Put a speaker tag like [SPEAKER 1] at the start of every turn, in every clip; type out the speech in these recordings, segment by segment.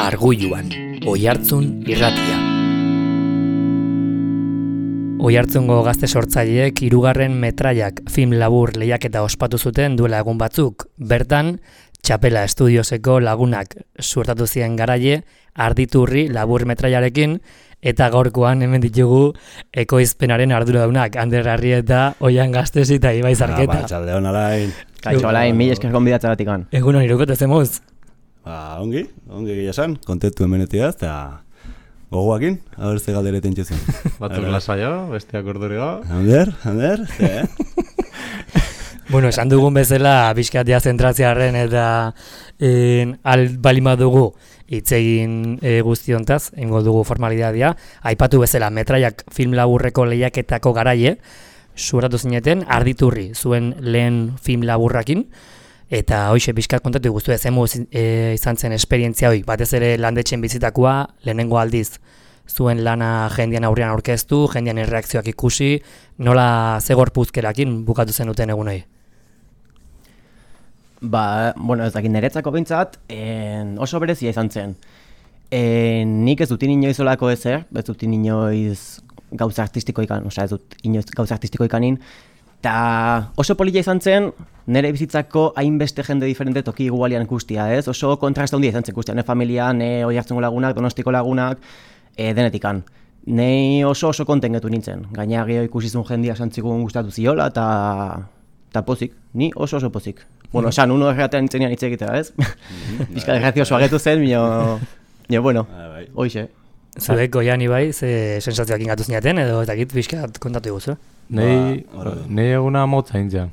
[SPEAKER 1] Arguluan, Oihartzun irratia. Oihartzungo gazte sortzaileek 3. metraiak film labur lehiaketa ospatu zuten duela egun batzuk. Bertan, Txapela Estudioseko lagunak suertatu ziren garaile Arditurri labur metraiarekin, eta gaurkoan hemen ditugu ekoizpenaren arduradunak, Ander Arrieta, Oian Gaztesi eta Ibai Zarketa.
[SPEAKER 2] Txaldeon alain.
[SPEAKER 3] Kaixo alain, mil esker gonbidatzagatik.
[SPEAKER 1] Egun hon irukote zemuz?
[SPEAKER 2] Ongi gila esan, kontentu hemenetia eta gogoakin, haber ze galdereten txezien.
[SPEAKER 4] Batzuk lasaio, besteak ordurioa.
[SPEAKER 2] Ander,
[SPEAKER 1] Bueno, esan dugun bezala, bizkatia zentratziarren eta balima dugu hitzegin guztiontaz, ingo dugu formalidadia. Aipatu bezala, metraiak film laburreko lehiaketako garaile, suertatu zineten, Arditurri, zuen lehen film laburrakin, eta hoxe bizkat kontatu guztu ezemu izan zen esperientzia hoi, batez ere landetxen bizitakoa, lehenengo aldiz, zuen lana jendean aurrean aurkeztu, jendean erreakzioak ikusi, nola zegorpuzkerakin bukatu zenuten egun hori?
[SPEAKER 3] Ez dakit niretzako behintzat, oso berezia izan zen. Nik ez dut inoiz olako ezer, ez dut inoiz gauza artistiko ikan, ez dut inoiz gauza artistiko ikanin, eta oso polita izan zen, nire bizitzako hainbeste jende diferente toki igualian ikustia, ez? Oso kontrasta handia izan zen ikustia, ne familia, ne Oihartzungo lagunak, Donostiko lagunak, denetikan. Nei oso kontengetu nintzen, gaina geho ikusizun jendia santzikun gustatu ziola, eta pozik, ni oso pozik. Bueno, esan, uno erratean nintzenean hitz egitea, ez? Bizka gracioso agetu zen, bueno, hoxe.
[SPEAKER 1] Zuek goian Ibai, ze sensazioak ingatu zinaten, edo eta git bizkat kontatu eguzu?
[SPEAKER 4] Nei eguna motza intzean.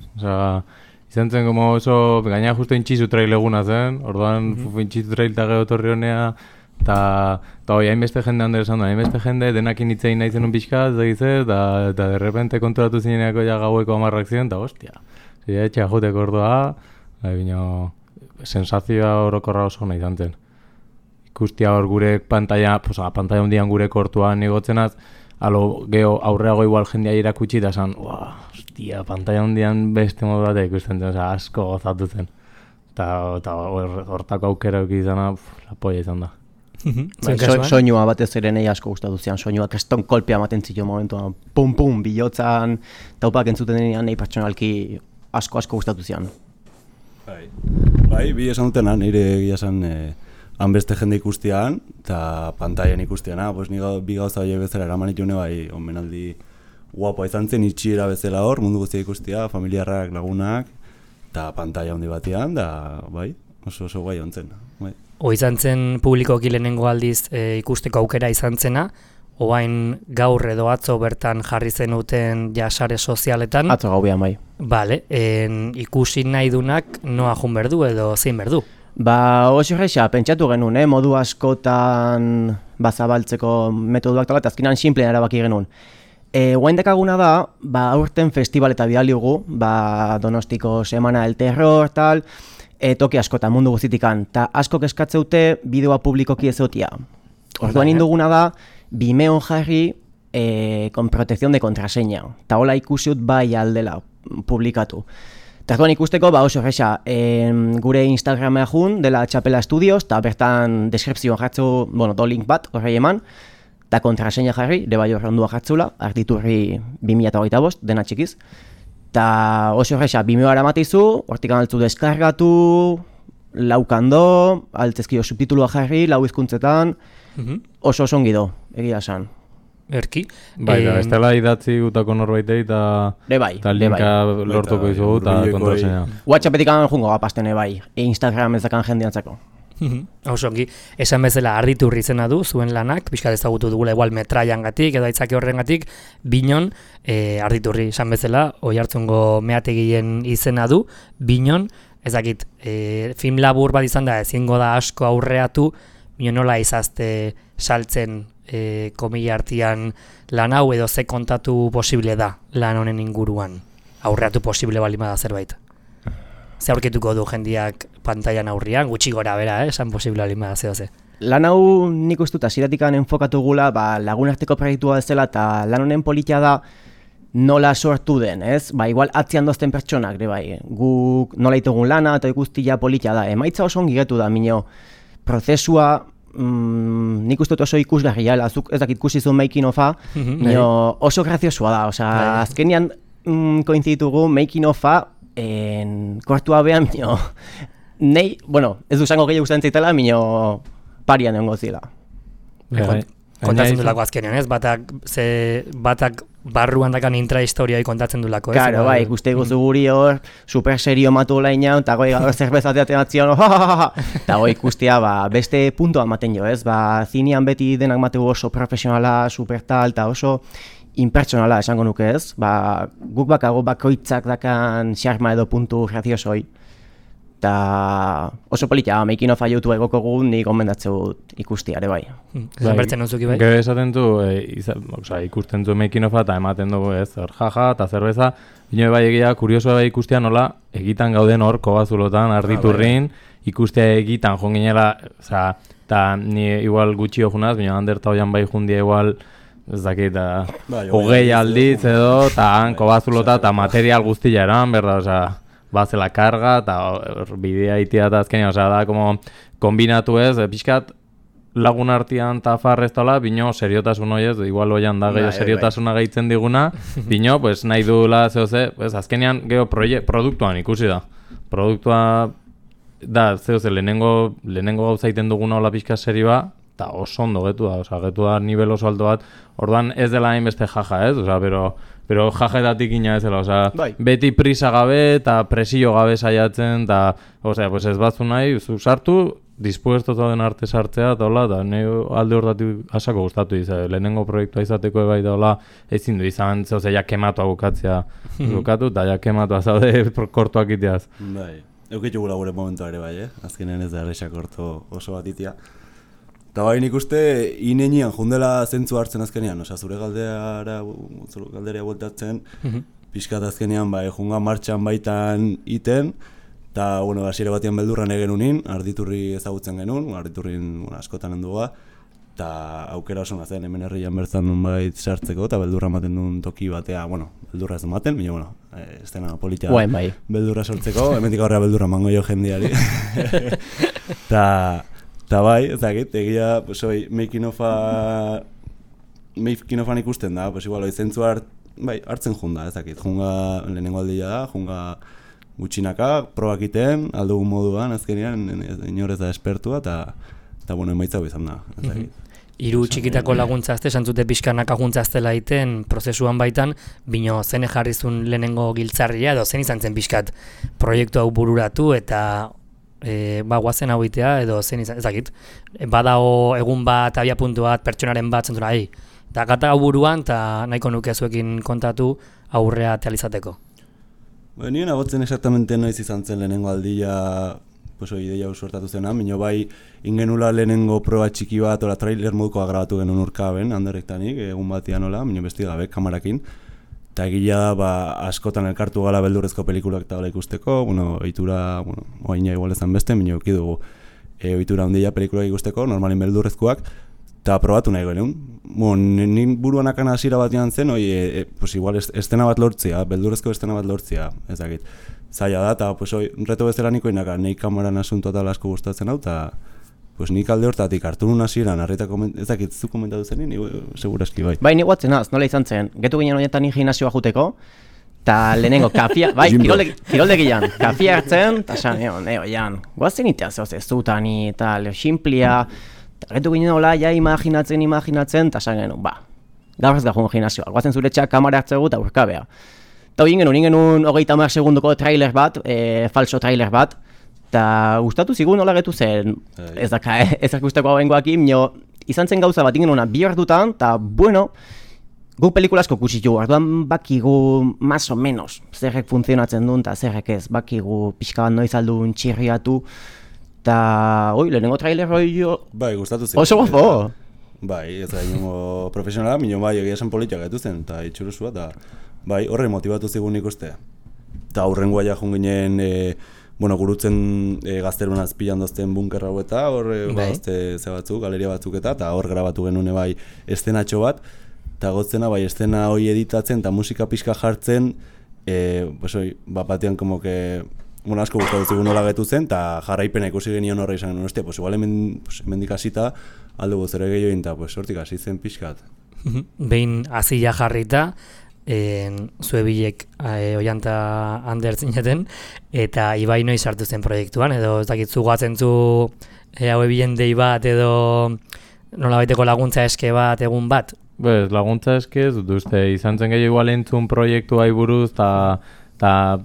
[SPEAKER 4] Izan zen como oso, gaina justo intxizu trail eguna zen, orduan intxizu trail eta geho torri honea, eta hoi, hainbeste jende handera esan da, hainbeste jende denakin hitzein nahi zenun pixkat, eta derrepente konturatu zineako ja gaueko 10 ziren, eta hostia, zidea etxea joteko ordua, sensazioa orokorra oso nahi izan zen. Ikustia hor gure pantalla hundian gure kortuan igotzenaz, geho aurreago igual jendea irakutsi eta esan, hostia, pantalla hundian beste modu bat ikusten zen, asko gozatu zen. Eta hortako aukera izana, la polla izan da.
[SPEAKER 3] Soinua batez ere nahi asko gustatu zian, soinua keston kolpea ematen zio momentuan, pum, bilotzan, taupak entzuten denean nahi pertsonalki asko gustatu zian.
[SPEAKER 2] Bai, bi esan dutena, nire egia esan hanbeste jende ikustian, eta pantailan ikustiana, bi gauza horiek bezala eraman itune bai, onmenaldi guapoa izan zen, itxiera bezala hor, mundu guztia ikustia, familiarrak, lagunak, eta pantaila handi batean, da bai, oso gai ontzen. Bai.
[SPEAKER 1] Izan zen publikoki lehenengo aldiz ikusteko aukera izan zena, oain gaur edo atzo bertan jarri zenuten sare sozialetan.
[SPEAKER 3] Atzo gaubian bai.
[SPEAKER 1] Bale, ikusi nahi dunak noa jun berdu edo zein berdu?
[SPEAKER 3] Oso reixa, pentsatu genuen, modu askotan zabaltzeko metoduak tala, eta azkenan simplean erabaki genuen. Guain dekaguna da, aurten festival eta bidaliugu, Donostiko Semana del Terror, tal, toki askotan mundu guztitikan, eta askok eskatzeute bideoa publikoki ezotia. Orduan induguna da, Vimeon jarri con protección de contraseña, eta hola ikusiut bai aldela publikatu. Eta orduan ikusteko, oso erresa, gure Instagramea jun, dela Txapela Estudios, eta bertan deskripzioan jartzu, do link bat, horrei eman, eta kontraseña jarri, bai horre ondua jartzula, Arditurri 2025, dena txikiz. Eta oso erresa, Vimeo matizu, hortik altzu deskargatu, laukando, altzezkio subtitulua jarri, 4 hizkuntzetan, oso ongi do, egia esan.
[SPEAKER 1] Erki?
[SPEAKER 4] Bai, ez dela idatzi gutako norbaitei eta linka lortuko izugu eta kontraseña.
[SPEAKER 3] WhatsAppetik jungo gapaztene bai, Instagram ez dakan jendeantzako.
[SPEAKER 1] Oso ongi, esan bezala Arditurri izena du, zuen lanak, pixkat ezagutu dugula igual metraiangatik edo aitzaki horrengatik, Binon, Arditurri esan bezala, Oihartzungo meategien izena du, Binon, ez dakit, film labur bat izan da, ezingo da asko aurreatu, Binon nola izazte saltzen komila artean lan hau edo ze kontatu posible da lan honen inguruan, aurreatu posible balima da zerbait. Ze aurkituko du jendiak pantailan aurrian, gutxi gora bera, esan posible alima zehose.
[SPEAKER 3] Lan hau nik ustuta ziratikan enfokatu gula, lagunarteko proiektua bezala, eta lan honen politia da nola sortu den, ez? Igual atzian dozten pertsonak, bai. Guk nola itugun lana eta ikustia politia da. Emaitza oso ongi getu da, minio, prozesua nik uste dut oso ikusgarria, zuk ez dakit ikusi zuen making of-a, oso graziosua da, osea, azkenean koinzitugu making of-a kortua behan, nei, bueno, ez du zango gehiago gustatzen zaitela, parian egongo zila.
[SPEAKER 1] Kontatzen dulako azkenean, ez? Batak barruan dakan intrahistorioi kontatzen dulako, ez?
[SPEAKER 3] Claro, bai, ikuste guzu guri hor, super serio matu laina, eta goi gaur zerbezateaten atzion, eta goi ikustea, beste puntoa ematen jo, ez? Zinean beti denak mategu oso profesionala, super tal, eta oso impertsonala esango nuke, ez? Guk bakago bakoitzak dakan xarma edo puntu graziosoi. Eta oso politia, making of YouTube egoko gu, nik gomendatzeu ikustia ere bai.
[SPEAKER 1] Zanbertzen nuzuki bai?
[SPEAKER 4] Gero esaten du, ikusten du making of eta ematen dugu ez, hor jaja eta zerbeza, bine bai egia, kuriosoa bai ikustia nola, egitan gauden hor kobazulotan, arditurrin, ikustia egitan jonginela, eta ni igual gutxio junaz, bine handerta hoian bai jundia igual, ez dakit, hogei alditz edo, eta han kobazulota eta material guztia eran, berda, bazela karga, eta bidea itia eta azkenean, da, como, kombinatu ez, pixkat lagun artean eta farreztola, bino, seriotasun hori ez, igual hoian da, gehiago seriotasuna gehitzen diguna, bino, pues, nahi duela, pues, azkenean, geho, produktuan ikusi da. Produktua, da, lehenengo gauza iten duguna hola pixka serioa, eta oso ondo getu da, nivel oso alto bat, orduan ez dela hainbeste jaja ez, pero jajaetatik ina ez dela, beti prisa gabe eta presio gabe saiatzen, eta, pues ez batzu nahi, zu sartu, dispuesto zauden arte sartzea, eta hola, eta alde hortatik asako gustatu izan, lehenengo proiektua izateko ebai da hola, ezin du izan, ja kematua bukatzea bukatu, eta ja kematua zaude kortuak iteaz.
[SPEAKER 2] Bai, eukitu gula gure momentua ere bai, azkenean ez da erresa korto oso bat itia. Eta bai nik uste, inenian jundela zentzu hartzen azkenean, zure galdera bueltatzen, pixkat azkenean, junga martxan baitan iten, eta, hasiera batean beldurran egen unin, arditurri ezagutzen genuen, arditurrin askotan henduga, eta aukera oso nazen, hemen herrian bertzan nun bait sartzeko, eta beldurra ematen duen toki batea, beldurra ez ematen, baina, estena politia beldurra sortzeko, hemendik aurrera beldurra mango jo jendiari. Eta bai, ezagit, egia, making ofan ikusten da, igual, zentzu hartzen junda, ezagit, junga lehenengo aldia da, junga gutxinaka, probak iten, aldugun moduan, azkenean, inorez da espertua, eta emaitza izan da, ezagit.
[SPEAKER 1] Hiru txikitako laguntzazte, santzute pixkanak aguntzaztela iten, prozesuan baitan, bino zene jarrizun lehenengo giltzarria, edo zen izan zen pixkat proiektu hau bururatu, eta guazen hau itea, edo zen izan, ezakit, badao egun bat, abia puntu bat, pertsonaren bat, zentura, eta gata hau buruan, eta nahiko nuke zuekin kontatu aurrea tealizateko.
[SPEAKER 2] Nien agotzen exactamente noiz izan zen lehenengo aldia, ideia hau suertatu zena, minio bai ingenula lehenengo proba txiki bat, ola trailer modukoa grabatu genuen urkaben, handerektanik, egun batian ola, minio besti gabe, kamarakin, eta egila da, askotan elkartu gala beldurrezko pelikulak eta ikusteko, ohitura, oaina igual ezan beste, minio eukidugu ohitura handia pelikulak ikusteko, normalin beldurrezkoak, eta probatu nahi genuen. Nin buruan akana hasiera batean zen, igual estena bat lortzea, beldurrezko estena bat lortzea, ezakit. Zaila da, eta reto bezala niko inaka, nahi kamaran asunto eta asko gustatzen hau, eta nik alde hortatik hartu nun hasieran, ezakit zu komentatu zen, seguraski bai.
[SPEAKER 3] Bai, ni guatzen az, nola izan zen, getu ginen horietan gimnasioa juteko, eta lehenengo kafia, bai, kiroldegian, kafia hartzen, eta esan, jan, guazen itea zutani, eta simplia, eta getu ginen hola, ja imaginatzen, eta esan genuen, gaur ez gajun gimnasioa, guazen zure txak kamara hartzegu eta urkabea. Eta hori genuen 30 segundoko trailer bat, falso trailer bat, eta gustatu zigun nola getu zen, ez dakusteko hau bengoakin, izan zen gauza bat ingenuna bi ordutan, eta guk pelikulasko kusitu, orduan bakigu más o menos zerrek funtzionatzen duen, eta zerrek ez, bakigu pixka bat noiz aldun txirriatu, eta lehenengo trailer hori
[SPEAKER 2] bai, gustatu zigun.
[SPEAKER 3] Oso gofo!
[SPEAKER 2] Bai, ez da ingo profesionala, minio bai egia esan politiak getu zen, eta itxuruzua, eta bai, horre motibatu zigun ikuste. Eta aurrengoa ja junginen, gurutzen gazterun azpilan dozten bunker hau eta hor bazte ze batzuk, galeria batzuk eta hor grabatu genuen bai estenatxo bat, eta gotzena bai estena hori editatzen eta musika pixka jartzen, batean como que asko gustatu zigun nola getu zen, eta jarraipena ikusi genion horre izan genuen, hostia, pues igual hemendik hasita aldugu zere gehiago egin, eta pues hortik hasi zen pixkat.
[SPEAKER 1] Behin azila jarrita, zue bilek Oianta Ander zineten, eta Ibai noiz sartu zen proiektuan, edo ez dakit zugatzen zu haue bilen dei bat, edo nolabaiteko laguntza eske bat, egun bat?
[SPEAKER 4] Laguntza eske ez dut uste, izan zen gehiago igual entzun proiektua buruz, eta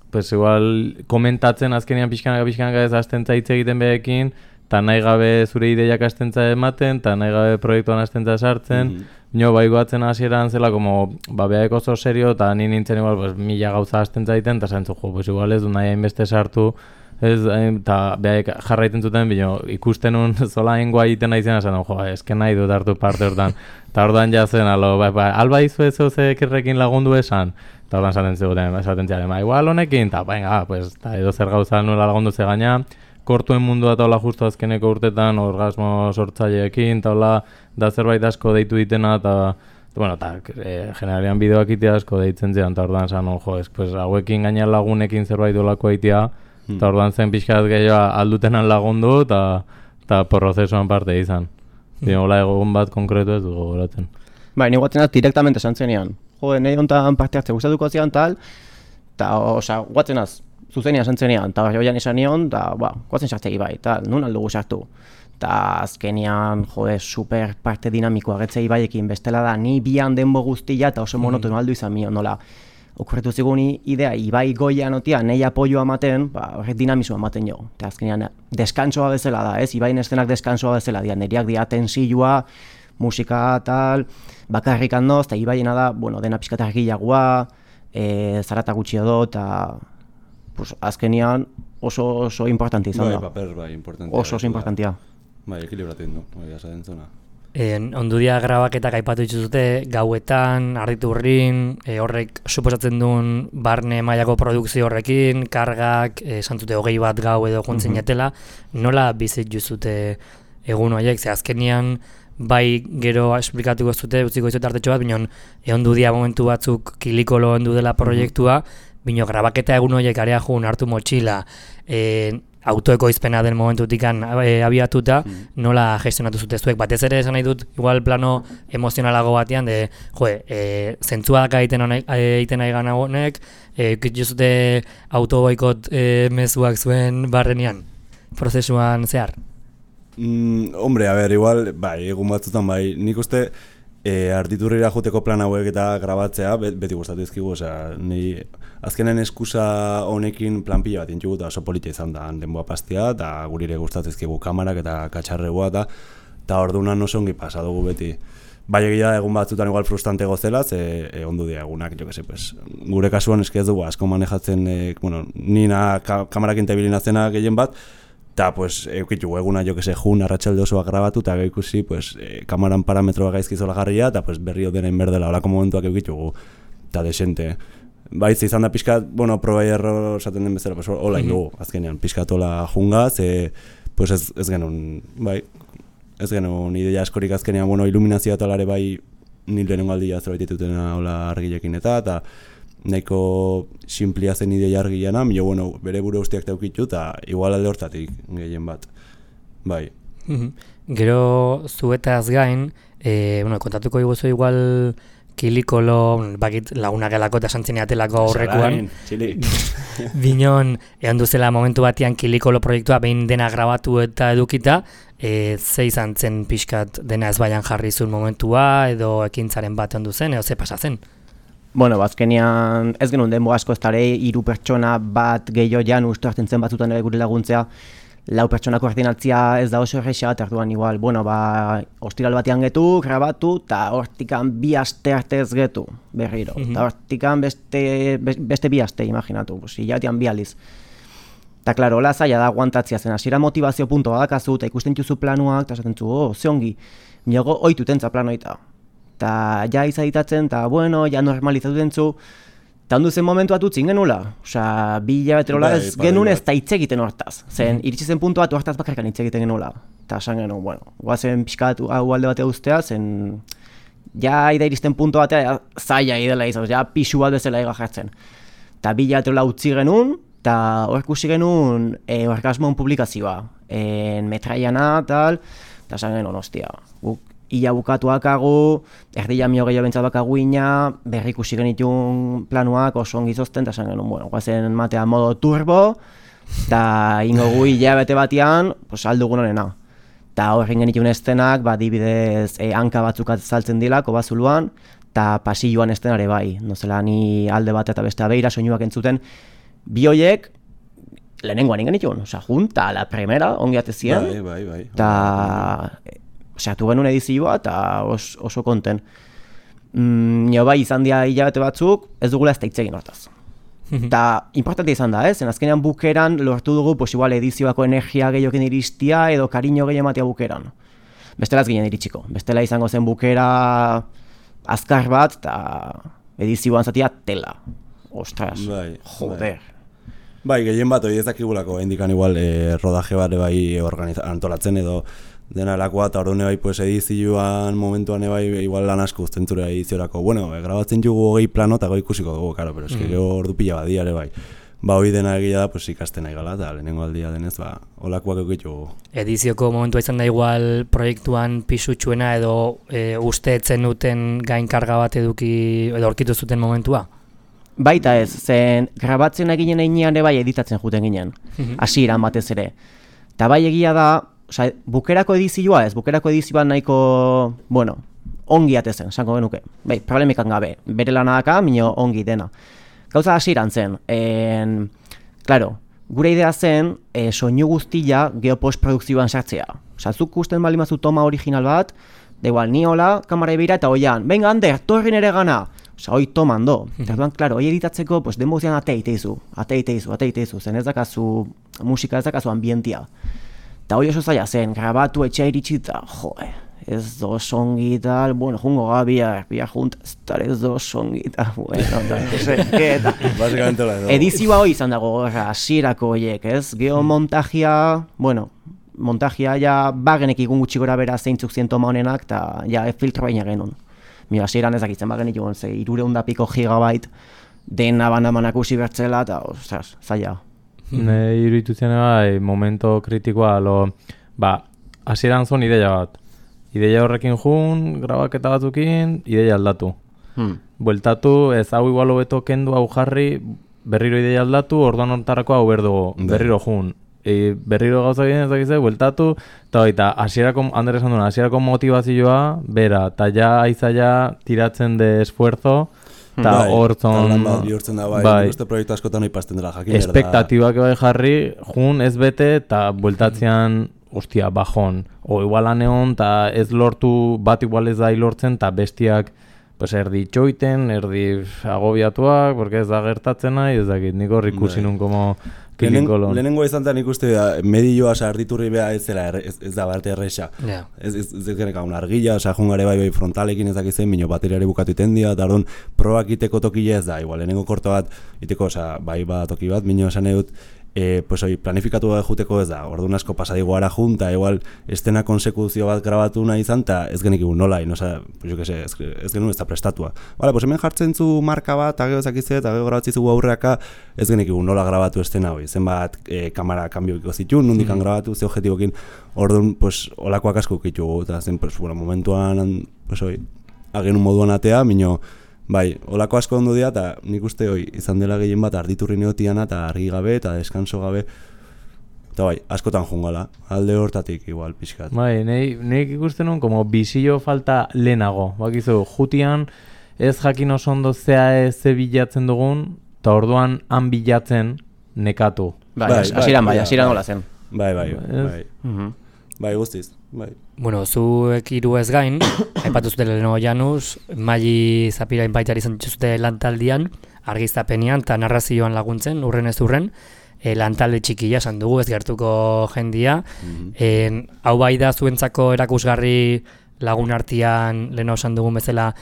[SPEAKER 4] pues igual komentatzen azkenean pixkanaka ez hastentza hitz egiten behekin, eta nahi gabe zure ideiak hastentza ematen, eta nahi gabe proiektuan hastentza sartzen, bai goatzen hasieran zela, behaek oso serio, eta ni nintzen igual, pues, 1000 gauza hastentza egiten, eta zantzu, pues igual ez du nahi hainbeste sartu, eta behaek jarraiten zuten, ikusten un zola hengoa egiten nahi zen, esan, esken nahi dut hartu parte hortan, eta ordan jazen, alba izu ez zekirrekin lagundu esan, eta ordan esaten ziaren, igual honekin, eta edo zer gauza nuela lagundu ze gaina, kortuen mundua eta hola justu azkeneko urtetan orgasmo sortzaileekin, eta hola da zerbait asko deitu ditena, eta generalian bideoak itea asko deitzen ziren, eta ordan zan, hauekin gaina lagunekin zerbait dolako itea, eta ordan zen pixkat gehiago aldutenan lagundu, eta prozesuan parte izan. Hola egun bat konkretu ez dugu goratzen.
[SPEAKER 3] Ni guatzen az direktamente esan zenean. Nahi hontan parte hartze gustatuko zian tal, eta guatzen az, zuzenean esan zenean, eta joian esan nion, eta guatzen sartzegi bai, eta nun aldugu sartu. Eta azkenean, super parte dinamikoa getzei baiekin, bestela da, ni bian denbo guztia eta oso monotono aldu izan mion, nola. Okurretu zigun idea, Ibai goian otia, nahi apoioa ematen, horrek dinamismoa ematen jo. Eta azkenean, deskantsoa bezala da, ez? Ibain eszenak deskantsoa bezala dira, neriak dira tensioa, musika tal, bakarrik handoz, eta Ibaiena da, dena pixkat argilagoa, zarata gutxi edo, eta azkenean oso importantia izan da.
[SPEAKER 2] Paper, importantia.
[SPEAKER 3] Oso importantia.
[SPEAKER 2] Ekilibratzen du, esaten zona.
[SPEAKER 1] Ondudia grabaketak aipatu dituzute, gauetan, Arditurrin, horrek suposatzen duen barne mailako produkzio horrekin, kargak, santzute 20 bat gau edo juntzen jatela, nola bizit juzute egun horiek, ze azkenian bai gero esplikatuko zute, utziko izut artetxo bat, binon ondudia momentu batzuk kilikolo ondu dela proiektua, bino grabaketa egun horiek area jun hartu motxila, autoekoizpena den momentutikan abiatuta, nola gestionatu zute zuek. Batez ere esan nahi dut, igual plano emozionalago batean, zentzuak egiten nahi gana honek, ikituzute autoboikot mezuak zuen barrenean, prozesuan zehar?
[SPEAKER 2] Hombre, igual, egun batzutan, nik uste, Arditurrira joteko plan hauek eta grabatzea beti gustatu dizkigu, ni azkenen eskusa honekin plan pila bat intxugu eta oso politia izan da denboa pastia, eta gurire gustatu dizkigu kamarak eta katxarregoa, eta orduan oso ongi pasa dugu beti. Bai egia egun batzutan igual frustrante gozela, ondu dia egunak, gure kasuan eski ez dugu asko manejatzen, nina kamarakin tebilina zena gehien bat, eta eukitu eguna jun arratsalde osoa grabatu eta ikusi kamaran parametroa gaizki zola jarria eta berri odenain berdela olako momentuak eukitugu eta desente. Baitz izan da pixkat, proba error esaten den bezala, hola indugu azkenean, pixkat hola jungaz, ez genuen, ez genuen ideia askorik azkenean, iluminazioa eta lare nil lehenengo aldia zerbait ditutena hola argilekin eta nahiko simplia zen ideia argiana, bere buru usteak teukitu eta igual alde hortatik gehien bat. Bai.
[SPEAKER 1] Gero zuetaz gain, kontatuko iguzu igual kilikolo, bakit lagunak elako eta santzineatelako aurrekoan. Binon, egon duzela momentu batean kilikolo proiektua behin dena grabatu eta edukita, ze izan zen pixkat dena ez baian jarri zuen momentua, edo ekintzaren bat ondu zen, edo ze pasa zen?
[SPEAKER 3] Azkenean ez genuen denbo asko ez dara 3 pertsona bat gehiago jan uste hartzen zen batzutan ere gure laguntzea, 4 pertsona koordinatzea ez da oso erresa, eta orduan igual, ostiral batean getu, grabatu, eta hortikan 2 aste arte ez getu berriro, eta hortikan beste 2 aste, imaginatu, hilabetean 2 aldiz. Eta klaro, hola zaila da aguantatzea zen, hasiera motivazio punto badakazu, eta ikusten duzu planuak, eta esaten zu, ze ongi, niago oitutentza planoita. Eta ja izaditatzen, eta ja normalizatu dentzu, eta ondu zen momentu bat utzin genula. 2 hilabeterola ez genuen ez da hitz egiten hortaz. Zen, iritsi zen puntu bat hortaz bakarkan hitz egiten genula. Eta esan genuen, guazen pixkat hau alde batea ustea, zen, ja ida iristen puntu batea zaila idela izan, ja pixu bat bezala ega jartzen. Eta 2 hilabeterola utzi genuen, eta hor ikusi genuen orgasmon publikazioa, metraiana, tal, eta esan genuen, ostia, guk ia bukatuakagu, erdia mio gehiago bentsat bakagu ina, berri ikusi genitun planuak oso ongi zozten, eta esan genuen, bueno, guazen matea modo turbo, eta ingo gu hilabete batean, pues, aldugun honena. Eta horren genitun estenak, dibidez hanka batzuk azaltzen dilako bazuluan, eta pasilloan estenare bai, nozela ni alde bat eta beste beira soinuak entzuten, bi hoiek lehenengoan ingenitun, junta, la primera, ongi atezien,
[SPEAKER 2] Bai.
[SPEAKER 3] eta tu genuen edizioa eta oso konten. Nio bai izan dira hilabete batzuk, ez dugula ez da hitz egin hortaz. Eta importante izan da, zen azkenean bukeran lortu dugu igual edizioako energia gehiokin iristia edo kariño gehiago ematea bukeran. Bestela ez ginen iritsiko, bestela izango zen bukera azkar bat eta edizioan zatia tela. Ostras, joder.
[SPEAKER 2] Bai, gehien bat hori ez dakigulako, indikan igual rodaje bat bai antolatzen edo dena lakoa, eta orduan bai pues, edizioan momentuan bai igual lan asko uzten zure ediziorako. Bueno, grabatzen jugu 20 plano eta ikusiko dugu, claro, pero eske gero ordu pila badia ere bai. Hori dena egia da, pues, ikasten nahi gala, eta lehenengo aldia denez, olakoak eukitugu.
[SPEAKER 1] Edizioko momentua izan da igual proiektuan pisutsuena edo usteetzen duten gainkarga bat eduki edo aurkitu zuten momentua?
[SPEAKER 3] Baita ez, zen grabatzen eginen einean ere bai editatzen juten ginen, hasieran batez ere. Eta bai egia da, bukerako edizioa ez, bukerako edizioan nahiko, bueno, ongi atezen, esango genuke. Bai, problemikan gabe, bere lanaka, minio ongi dena. Gauza hasieran zen, claro, gure idea zen, soinu guztia geopostprodukzioan sartzea. Zuk gusten bali mazu toma original bat, da igual, ni hola, kamara ebira eta oian, venga, Ander, torrin ere gana. Hoi toman do. Eta claro, hoi editatzeko, pues, denbozian ateiteizu, zen ez dakazu, musika ez dakazu ambientia. Eta hoi oso zaila zen, grabatu etxea iritsita, ez do songi tal, bueno, jungo bihar junta, ez do songi tal, bueno, eta
[SPEAKER 2] Básicamente la edo.
[SPEAKER 3] Edizioa hoi izan dago, hasierako horiek, ez? Geo montajia, bueno, montajia ja bagenek igun gutxi gora bera zeintzuk zien toma honenak, eta ja filtro baina genuen. Mira, hasieran ezakitzen bagenik egon, 300 piko gigabyte dena banamanak usi bertzela, eta, ostras, zaila.
[SPEAKER 4] Iruditu zen bai, momento kritikoa, hasieran zon ideia bat. Ideia horrekin jun, grabaketa batzukin, ideia aldatu. Bueltatu, ez hau igual hobeto kendu hau jarri, berriro ideia aldatu, orduan hortarako hau berdugu, berriro jun. Berriro gauza egin ezakizte, bueltatu, eta baita, Ander esan duen, hasierako motivazioa, bera, eta ja aizaia tiratzen de esfuerzo, eta hortzon...
[SPEAKER 2] Lan bat bihurtzen da, bai, uste proiektu askotan hori pasten dela jakin.
[SPEAKER 4] Espektatibak bai jarri, jun ez bete, eta bueltatzean, ostia, bajon. O igual aneon, eta ez lortu, bat igual ez da lortzen, eta bestiak, pues erdi txoiten, erdi agobiatuak, porque ez da gertatzen nahi, ez dakit, nik hor ikusi nun como...
[SPEAKER 2] Lehenengo izan zen ikuste medioa arditurri beha ez da barte erresa. Ez geneka un argila, jungare bai frontalekin ez dakizen, minio bateriari bukatu itendia, eta orduan probak iteko tokile ez da, igual, lehenengo korto bat iteko, bai bat toki bat, minio esan edut, pues hoi planifikatu bat juteko ez da, orduan asko pasadigo ara junta, igual estena konsekuzio bat grabatu nahi izan, eta ez genik egun nola, ez genuen ez da prestatua. Bale, pues hemen jartzen zu marka bat, eta gero zakizet, eta gero grabatzi zugu aurreaka, ez genik egun nola grabatu estena hoi, zenbat kamera kanbiokiko zituen, nondikan grabatu, ze objetibokin, orduan, pues, olakoak asko ukitugu, eta zen, pues, bueno, momentuan, pues hoi, agenun moduan atea, minio, bai, olako asko ondo dira, eta nik uste hoi, izan dela gehien bat arditurri neotiana, eta argi gabe, eta deskanso gabe, eta bai, askotan jungala, alde hortatik igual pixkat.
[SPEAKER 4] Bai, nik ikusten nun, como bizio falta lehenago, bakizu, jutian ez jakin oso ondo ze bilatzen dugun, eta orduan han bilatzen nekatu.
[SPEAKER 3] Bai, hasieran hola zen.
[SPEAKER 2] Bai, guztiz, bai.
[SPEAKER 1] Bueno, zuek hiru ez gain, aipatu zuten Leno Janus, Maili Zapirain baitari izan dituzute lantaldian, argiztapenean eta narrazioan laguntzen, urren ez urren, lantalde txikia esan dugu, ez gertuko jendia. Hau bai da zuentzako erakusgarri lagun artean Leno esan dugun bezala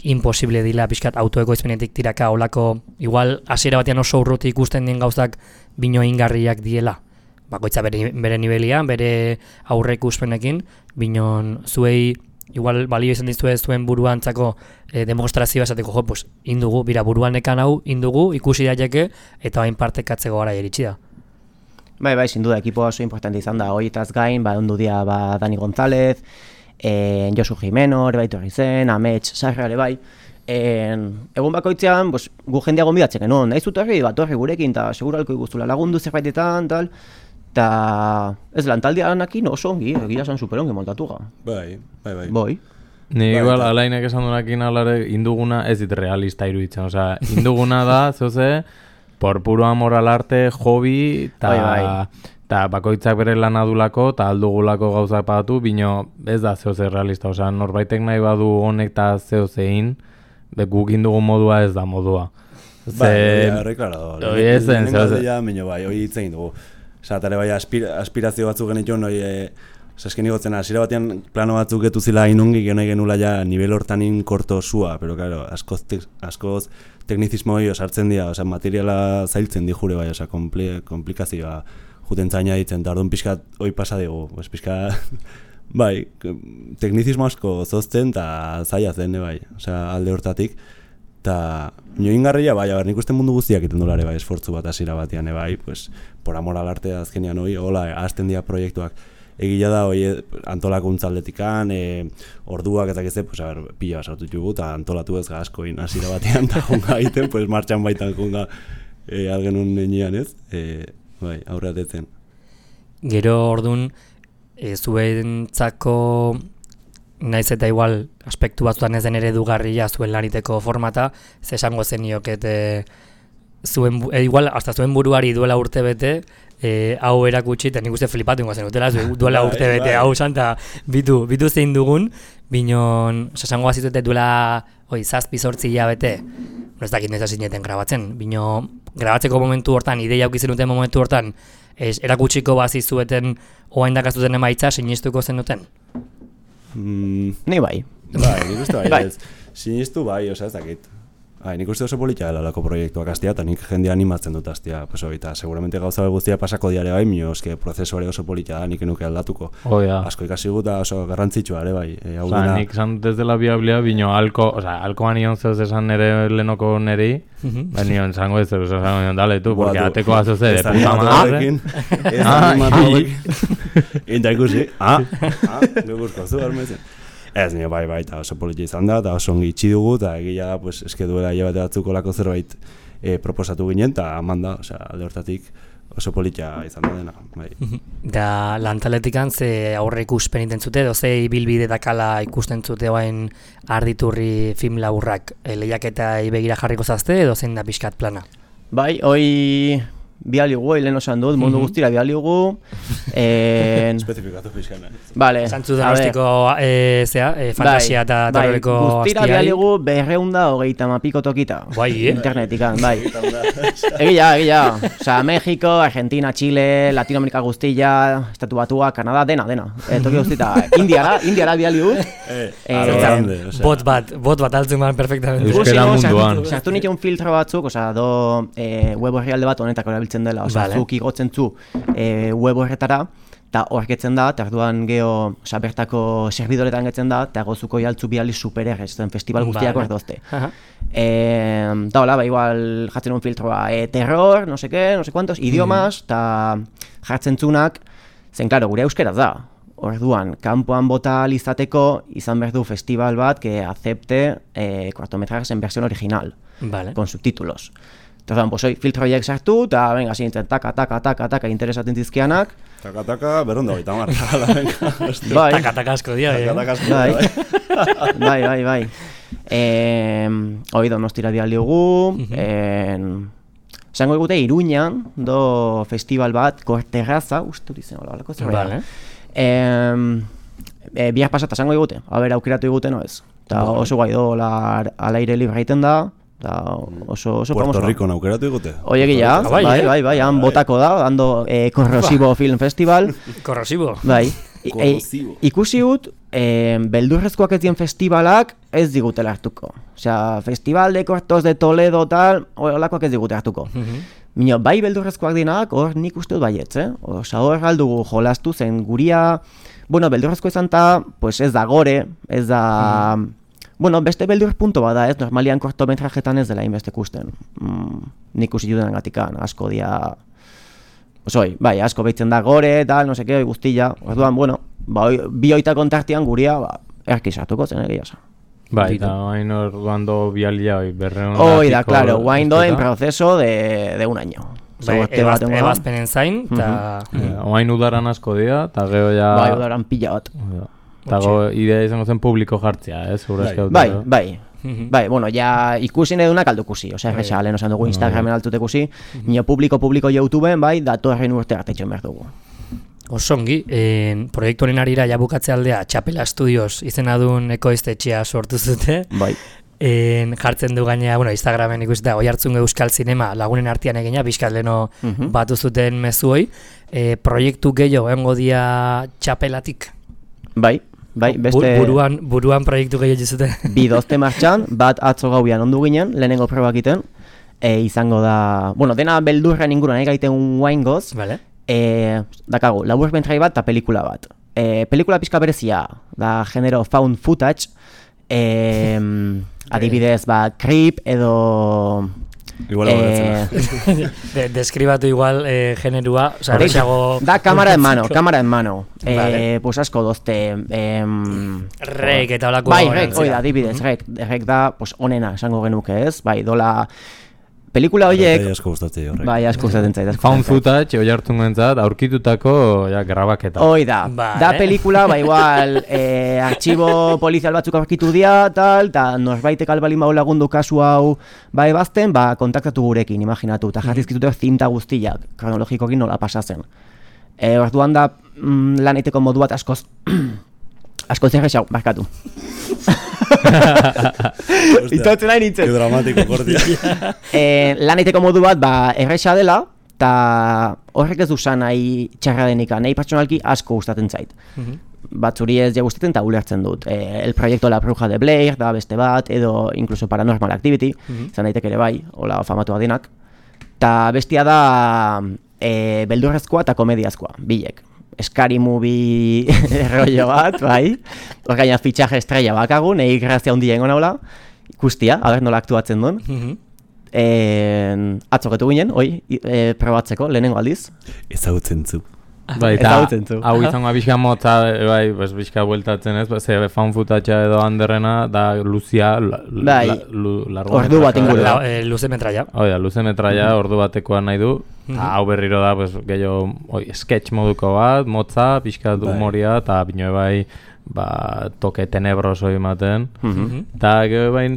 [SPEAKER 1] imposible dila pixkat autoekoizpenetik tiraka olako, igual hasiera batean oso urruti ikusten dien gauzak bino ingarriak diela. Bakoitza bere nibelian, bere aurreikuspenekin, binon zuei igual balio izan dizue zuen buruantzako demostrazioa esateko, jo, pues, indugu, bira buruanekan hau, indugu, ikusi daiteke, eta bain partekatzeko gara iritsi da.
[SPEAKER 3] Bai, sin duda, ekipo oso importante izan da, horietaz gain, ondu dia Dani González, Josu Jimeno, ere baitu zen, Amets, Sarra, ere bai. Egun bakoitzean, gu jendea gonbidatzen genuen, nahiz utorri, torri gurekin, eta seguralko iguztula lagundu zerbaitetan, tal, eta ez lantaldeanakin oso ongi, egia esan superongi moldatuga.
[SPEAKER 2] Bai.
[SPEAKER 4] Ni igual, alainek esan duenakin alare, induguna ez dit realista iruditzen, osea, induguna da, zoze, por puro amor al arte, hobby, eta bakoitzak bere lan adulako, eta aldugulako gauzak pagatu, bino ez da zehoze realista, osea, norbaitek nahi badu honek eta zehozein, guk indugun modua ez da modua.
[SPEAKER 2] Bai, reklarado.
[SPEAKER 4] Hoi ez zen, zehoze.
[SPEAKER 2] Bai, hoi hitzein dugu. Osa, eta bai, aspirazio batzuk genituen, esken igotzen, hasiera batean plano batzuk getu zila inungi, genula ja nivel hortanin korto sua, pero claro, askoz teknizismo hori osartzen dira, osa, materiala zailtzen di jure bai, osa, komplikazioa juten zaina ditzen, eta orduan pixkat hoi pasa dugu, pues pixka, bai, teknizismo asko zozten eta zaila zen, bai, osa, alde hortatik, eta ingarria, bai, nik uste mundu guztiak iten dolare, bai, esfortzu bat hasiera batean, bai, pues, por amor al arte azkenean hoi, hola, hasten dira proiektuak, egia da, antolakuntza aldetikan, orduak eta gizte, pues, pila basartu dugu, eta antolatu ez gazkoin hasiera batean, eta junga egiten, pues, martxan baitan junga algenun nenean, ez? Bai, aurreatetzen.
[SPEAKER 1] Gero orduan, zuentzako naiz eta igual aspektu batzutan ez den eredugarria zuen laniteko formata, ze esango zenioket igual hasta zuen buruari duela urte bete, hau erakutsi, eta nik uste flipatu ingo zen utela, duela urte bete hau zan, eta bitu zein dugun, binon, esango bazitute duela 7-8 hilabete, ez dakit noiz hasi zineten grabatzen, bino grabatzeko momentu hortan, ideia aukizen duten momentu hortan, erakutsiko bazizueten oain dakazuten emaitza, sinistuko zenuten?
[SPEAKER 3] Ni bai.
[SPEAKER 2] Bai, nik uste bai, ez. Sinistu bai, ez dakit. Nik uste oso politia dela lako proiektuak astia, eta nik jendea animatzen dut astia, eta seguramente gauza guztia pasako diare bai, mio eske prozesuare oso politia da, nik enuke aldatuko. Asko ikasi guta oso garrantzitsua ere bai.
[SPEAKER 4] Nik zan desde la biablia, bino alkoan nion zehoz esan nere lehenoko nerei, nion zango ez zehoz esan nion, dale tu, porque ateko azoze de puta madre.
[SPEAKER 2] Ez animatuak. Inta ikusi, begurko zu, armezen. Ez, nire bai, eta oso politia izan da, eta oso ongi itxi dugu, eta egia da, pues, eske duela hilabete batzuko lako zerbait proposatu ginen, eta eman da, alde hortatik oso politia izan da dena. Bai.
[SPEAKER 1] Da, lantaletikan ze aurre ikuspen intentzute, edo ze ibilbide dakala ikusten zute oain Arditurri film laburrak, lehiaketa begira jarriko zazte, edo zein da pixkat plana?
[SPEAKER 3] Bai, hoi bialigu, lehen osan dut, mundu guztira bialigu.
[SPEAKER 2] Especifikatu pixkana.
[SPEAKER 3] Vale.
[SPEAKER 1] Santzu donostiko fantasia eta terroreko
[SPEAKER 3] astia. Guztira bialigu 230 piko tokita.
[SPEAKER 1] Bai,
[SPEAKER 3] Internetikan, bai. Egia. Osa, México, Argentina, Chile, Latinoamerika guztia, Estatu Batua, Kanada, dena. Toki guztita. Indiara bialigu.
[SPEAKER 1] Bot bat altzun man perfectamente.
[SPEAKER 4] Euskera munduan.
[SPEAKER 3] Sartu nituen filtro batzuk, osa, web horrialde bat honetako erabiltzen dela, osa, zuk igotzen zu web horretara, eta horretzen da, eta orduan geho, osa, bertako serbidoretan getzen da, eta gozuko jaltzu biali supererrez, zen festival guztiako erdozte. Eta hola, igual jartzen un filtroa, terror, no sé cuantos, idiomas, eta jartzen zunak, zen, klaro, gure euskeraz da. Orduan, kanpoan bota izateko izan behar du festival bat que acepte cortometrajes en versión original, con subtítulos. Entonces, pues hoy filtro horiek sartu, eta venga, zintzen, taka, interesatzen zizkianak.
[SPEAKER 2] Taka, berronda baita marra, venga.
[SPEAKER 3] Bai.
[SPEAKER 1] Taka asko dia,
[SPEAKER 3] Bai. Hoi Donostira bialiogu, zango egute Iruñan, do festival bat, Korterraza, uste hori zen, olako zerbait. Bihar pasata zango egute, haber aukeratu egute noez. Eta oso guai do, al aire libre egiten da, oso
[SPEAKER 2] Puerto Rico aukeratu egute?
[SPEAKER 3] Oie gila, bai, han botako da, dando Corrosivo Film Festival.
[SPEAKER 1] Corrosivo?
[SPEAKER 3] Bai. Ikusi gut, beldurrezkoak ez dien festivalak ez digutela hartuko. Osea, Festival de Cortos de Toledo tal, holakoak ez digute hartuko. Mino, bai beldurrezkoak dienak, hor nik uste dut baietz, Osea, hor aldugu jolastu zen guria, Bueno, beldurrezko izan ta, pues ez da gore, ez da... Bueno, beste beldur punto bada, ez, normalian kortometrajetan ez dela inbeste ikusten. Nik usi judan gatikan, asko dia... Bai, asko behitzen da gore, tal, no seke, guztilla. Orduan, bueno, bi oita kontartian guria, erki sartuko zen egia esan.
[SPEAKER 4] Bai, eta hain orduan do bialia berreun...
[SPEAKER 3] Da, claro, guain doen proceso de un año.
[SPEAKER 1] Ebazpenen zain, eta...
[SPEAKER 4] Oain udaran asko dira, eta gero ja...
[SPEAKER 3] Bai, udaran pila bat.
[SPEAKER 4] Eta idea izango zen publiko jartzea,
[SPEAKER 3] Bai, bueno, ja ikusi edunak aldukusi, osea, erresa, lehen osan dugu Instagramen altutekusi, nio publiko YouTubeen, bai, datorren urte hartetxen behar dugu.
[SPEAKER 1] Osongi, proiektu honen arira jabukatzea aldea Txapela Studios izena duen ekoiztetxea sortu zute.
[SPEAKER 3] Bai.
[SPEAKER 1] Jartzen du gainea, bueno, Instagramen ikusita Oihartzun Euskal Zinema lagunen artean egina, bizkat leno batu zuten mezuoi. Proiektu gehiago egongo dia Txapelatik?
[SPEAKER 3] Bai, beste...
[SPEAKER 1] Buruan proiektu gehiago zuten?
[SPEAKER 3] Bi dozte martxan, bat atzo gauian ondu ginen, lehenengo probak iten, izango da... Bueno, dena beldurren inguruan gaiten guain goz,
[SPEAKER 1] vale.
[SPEAKER 3] Dakagu, laburmentrai bat eta pelikula bat. Pelikula pixka berezia, da genero found footage, adibidez, Creep edo...
[SPEAKER 2] Igual
[SPEAKER 1] Deskribatu igual generua, o sea,
[SPEAKER 3] da cámara en mano,
[SPEAKER 1] vale.
[SPEAKER 3] Pues asko dozte...
[SPEAKER 1] Rek eta olako...
[SPEAKER 3] Bai, rek, oida, adibidez, rek da, pues onena, esango genuke ez, bai, dola... Pelikula horiek... Bai, asko gustatzen zait.
[SPEAKER 4] Found footage, Oihartzun gentzat, aurkitutako grabaketa.
[SPEAKER 3] Da pelikula, igual, artxibo polizial batzuk aurkitu dia, tal, eta norbaitek albalin bau lagundu kasu hau ebazten, kontaktatu gurekin, imaginatu, eta jarrizkitute zinta guztiak, kronologikokin nola pasazen. Orduan da, lan eiteko modu bat askoz zerrexau, barkatu. Itotzen nahi nintzen.
[SPEAKER 2] Que dramatiko kordia.
[SPEAKER 3] Lan eiteko modu bat, erresa dela, eta horrek ez dusan nahi txarra denika, nahi pertsonalki asko gustatzen zait. Batzuri ez ja gustatzen eta ulertzen dut. El proyecto La Bruja de Blair, da beste bat, edo incluso Paranormal Activity, zan daiteke ere bai, hola famatu adinak. Ta bestia da beldurrezkoa eta komediazkoa, bilek. Scary movie rollo bat, bai. Orgaina fitxaje estrella bakagu, nahi grazia hundia ingo naula. Ikustia, haber nola aktuatzen duen. Atzoketu ginen, probatzeko, lehenengo aldiz.
[SPEAKER 2] Ezagutzen zu.
[SPEAKER 4] Bai, eta hau izango bizka motza, bai, bizka bueltatzen ez, ze fan footage edo handerrena, da luzia,
[SPEAKER 3] ordu bat inguru.
[SPEAKER 1] Luze metraia.
[SPEAKER 4] Luze metraia, ordu batekoa nahi du. Hau berriro da, gehiago, sketch moduko bat, motza, bizka humoria, eta bine bai, toke tenebroso ematen. Eta gero bain,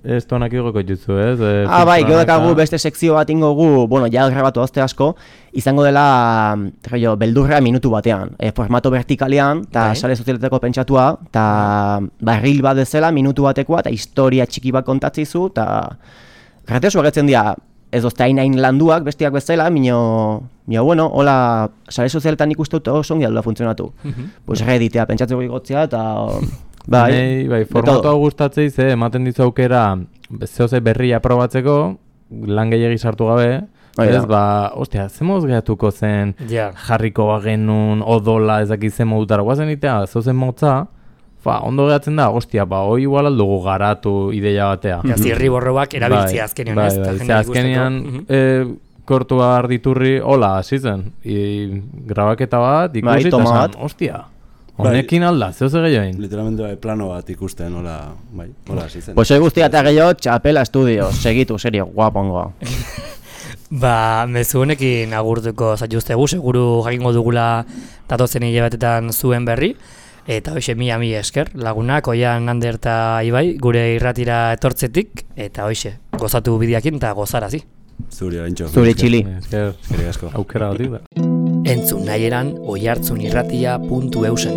[SPEAKER 4] ez tonak igoko jutzu, ez?
[SPEAKER 3] Bai, gero dakagu beste sekzio bat ingogu, bueno, ja grabatu azte asko, izango dela, beldurra minutu batean, formato vertikalean, eta sare sozialetako pentsatua, eta reel bat dezela, minutu batekoa, eta historia txiki bat kontatzizu, eta gratiosu agertzen dira, ez dozte hain landuak, bestiak bezala, bueno, hola, sare sozialetan ikustu oso ongi aldua funtzionatu. Pues Redditea pentsatzeko igotzea, eta...
[SPEAKER 4] Bai, formatoa gustatzei ze ematen dizu aukera zehose berria probatzeko, lan gehiagi sartu gabe, ez, ostia, ze moz gehatuko zen jarriko bagenun, odola, ezakit ze modutara, guazen itea, zehose motza, ondo gehatzen da, ostia, hoi igual aldugu garatu ideia batea.
[SPEAKER 1] Zirri borroak erabiltzea azkenian, ez?
[SPEAKER 4] Azkenian, kortua arditurri, hola, hasi zen, grabaketa bat, ikusi eta zan, ostia. Honekin alda, zeu ze gehioin?
[SPEAKER 2] Literalmente plano bat ikusten, hola hasi zen.
[SPEAKER 3] Pues hoi guztia eta gehiago Txapela Studios, segitu, serio, guapongoa.
[SPEAKER 1] Mezu honekin agurtuko zaituztegu, seguru jakingo dugula datozen hilabetetan zuen berri, eta hoxe mila esker, lagunak, Oian, Ander eta Ibai, gure irratira etortzetik, eta hoxe, gozatu bideakin eta gozarazi.
[SPEAKER 2] Zuri, Arantxo.
[SPEAKER 3] Zuri, txili.
[SPEAKER 4] Aukera batik da.
[SPEAKER 1] Entzun nahi eran oihartzunirratia.eusen.